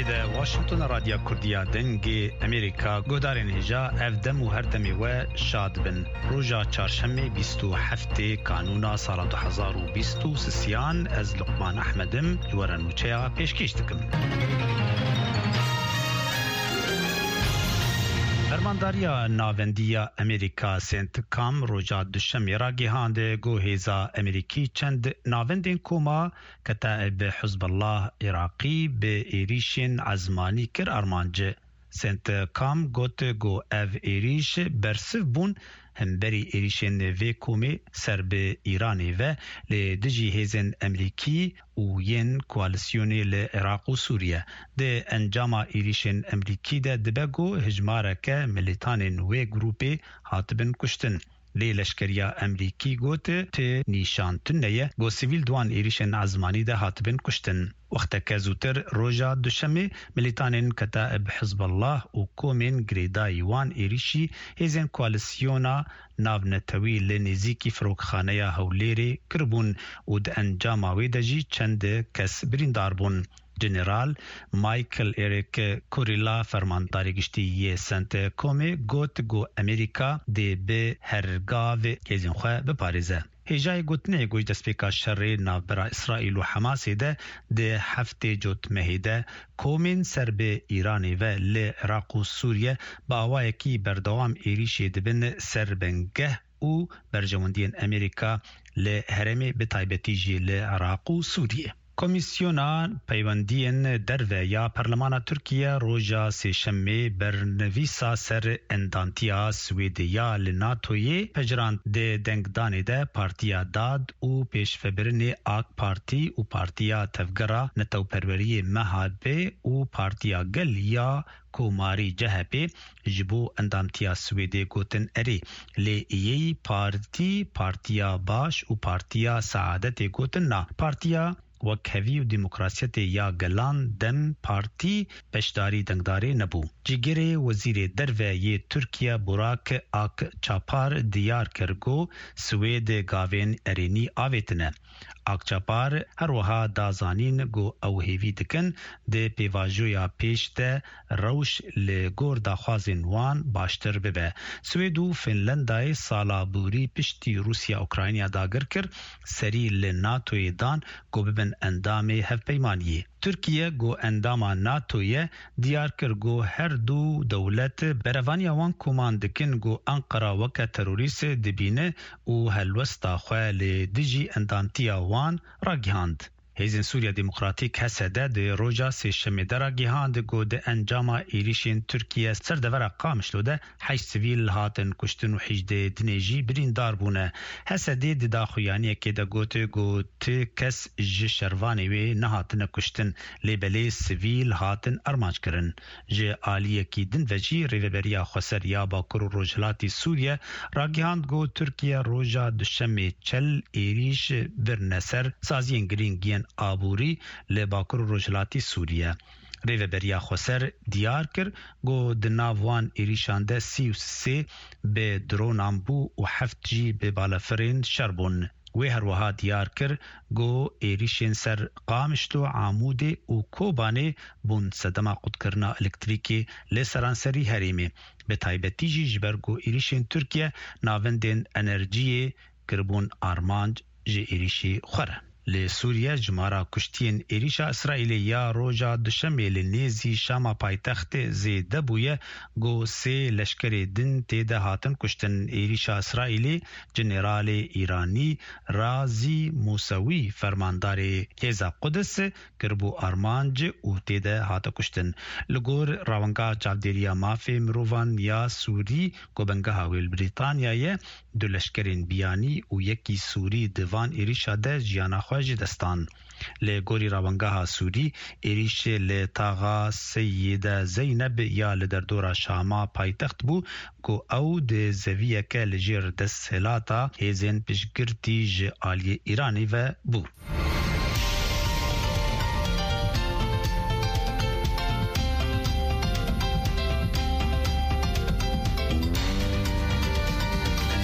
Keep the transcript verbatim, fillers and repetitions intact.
Li Washington, Radya Kurdiya Dengê Amerîka, guhdarên hêja, ev dem û her demê we şad bin. Roja çarşemê bîst û heftê Kanûna sala du hezar û bîst û sisiyan, ez Luqman Ehmed im, ji we re nûçeya pêşkêş dikim. Fermandariya Navendî ya Amerîka, CENTCOM, roja Duşemê ragihand ku hêza Amerîkî çend navendên koma Ketaib Hizbullah Iraqî bi êrîşên ezmanî kir armanc. CENTCOM got ku ev êrîş bersiv bûn hemberî êrîşên vê komê ser bi Îranê ve li dijî hêzên Amerîkî û yên koalîsyonê li Iraq û Sûriye. Di encama êrîşên Amerîkî de dibe ku hijmareke milîtanên wê grûpê hatibin kuştin. Lê leşkeriya Amerîkî got, ti nîşan tune ye ku sivîl di wan êrîşên ezmanî de hatibin kuştin. Wexteke zûtir roja Duşemê, milîtanên Ketaib Hizbullah û komên girêdayî wan êrîşî hêzên koalîsyona navnetewî li nêzîkî Firokxaneya Hewlêrê kiribûn û di encama wê de jî çend kes birîndar bûn. General Michael Eric Kurilla, fermandarê giştî yê CENTCOMê, got ku Amerîka dê bi her gav hêzên xwe biparêze. Hêjayê gotinê ku ji destpêka şerê navbera Îsraîl û Hemasê de di heftê cotmehê de komên ser bi Îranê ve li Iraq û Sûriye bi awayekî berdewam êrîşê dibin ser bingeh û berjewendiyên Amerîka li herêmê, bi taybetî jî li Iraq û Sûriye. Komîsyona Peywendiyên Derve ya Perlemana Tirkiye roja Sêşemê bernivîsa ser endamtiya Swêdê ya li NATOyê pejirand. Di dengdanê de Partiya Dad û Pêşvebirinê AK Partî û Partiya Tevgera Netewperweriyê MHP û Partiya Gel ya Komarî CHP ji bo endamtiya Swêdê gotin erê. Lê yê partî, Partiya Baş û Partiya Seadetê gotin na. Partiya Wekhevî û Demokrasiyetê ya Gelan, DEM Partî, beşdarî dengdarê nebû. Cîgirê Wezîrê Derve yê Tirkiye Burak Akçapar diyar kir ku Swêd gavên erênî avêtine. Akçapar her wiha da zanîn ku ew hêvî dikin di pêvajoya pêş de rewş li gor daxwazên wan baştir bibe. Swêd û Finlandayê sala borî piştî Rûsya Ukrayna dagir kir, serî li NATOyê dan ku bibin endamê hevpeymaniyê. Tirkiye ku endama NATO ye, diyar kir ku her du dewlet berevaniya wan koman dikin ku Ankara weke terorîst dibîne û helwesta xwe li dijî endamtiya wan ragihand. Hêzên Sûriya Demokratîk, H S D, di roja Sêşemê de ragihand ku di encama êrîşên Tirkiye ser devera Qamişlo de heşt sivîl hatin kuştin û hejdê dinê jî birîndar bûne. H S D di daxuyaniyekê de got ku ti kes ji şervanê wê nehatine kuştin, lê belê sivîl hatin armanc kirin. Ji aliyekî din ve jî Rêveberiya Xweser ya Bakur û Rojhilatî Sûriye ragihand ku Tirkiye roja Duşemê çel êrîş birine ser saziyên girîng yên aborî li Bakur û Rojhilatî Sûriye. Rêveberiya Xweser diyar kir ku di nav wan êrîşan de sî û sê bi dronan bû û heft jî bi balafirên şer bûn. Wê her wiha diyar kir ku êrîşên ser Qamişlo, Amûdê û Kobanê bûn sedema qutkirina elektrîkê li seranserî herêmê, bi taybetî jî ji ber ku êrîşên Tirkiye navendên enerjiyê kiribûn armanc, ji êrîşê xwe re. Li Sûriye jimara kuştiyên êrîşa Îsraîlê ya roja Duşemê li nêzî Şama paytextê zêde bûye ku sê leşkerê din tê de hatin kuştin. Êrîşa Îsraîlê Generalê Îranî Razî Musewî, fermandarê Hêza Qudis, kiribû armanc û tê de hate kuştin. Li gor Rawenga Çavdêriya Mafê Mirovan ya Sûrî, ku bengeha wê li Brîtanya ye, du leşkerên biyanî û yekî Sûrî di van êrîşa de jiyana xwe ji dest dan. Li gorî Rawengeha Sûrî, êrîşê li taxa Seyîde Zeyneb ya li derdora Şama paytext bû, ku ew di zeviyeke li jêr desthilata hêzên piştgirtî ji aliyê Îranê ve bû.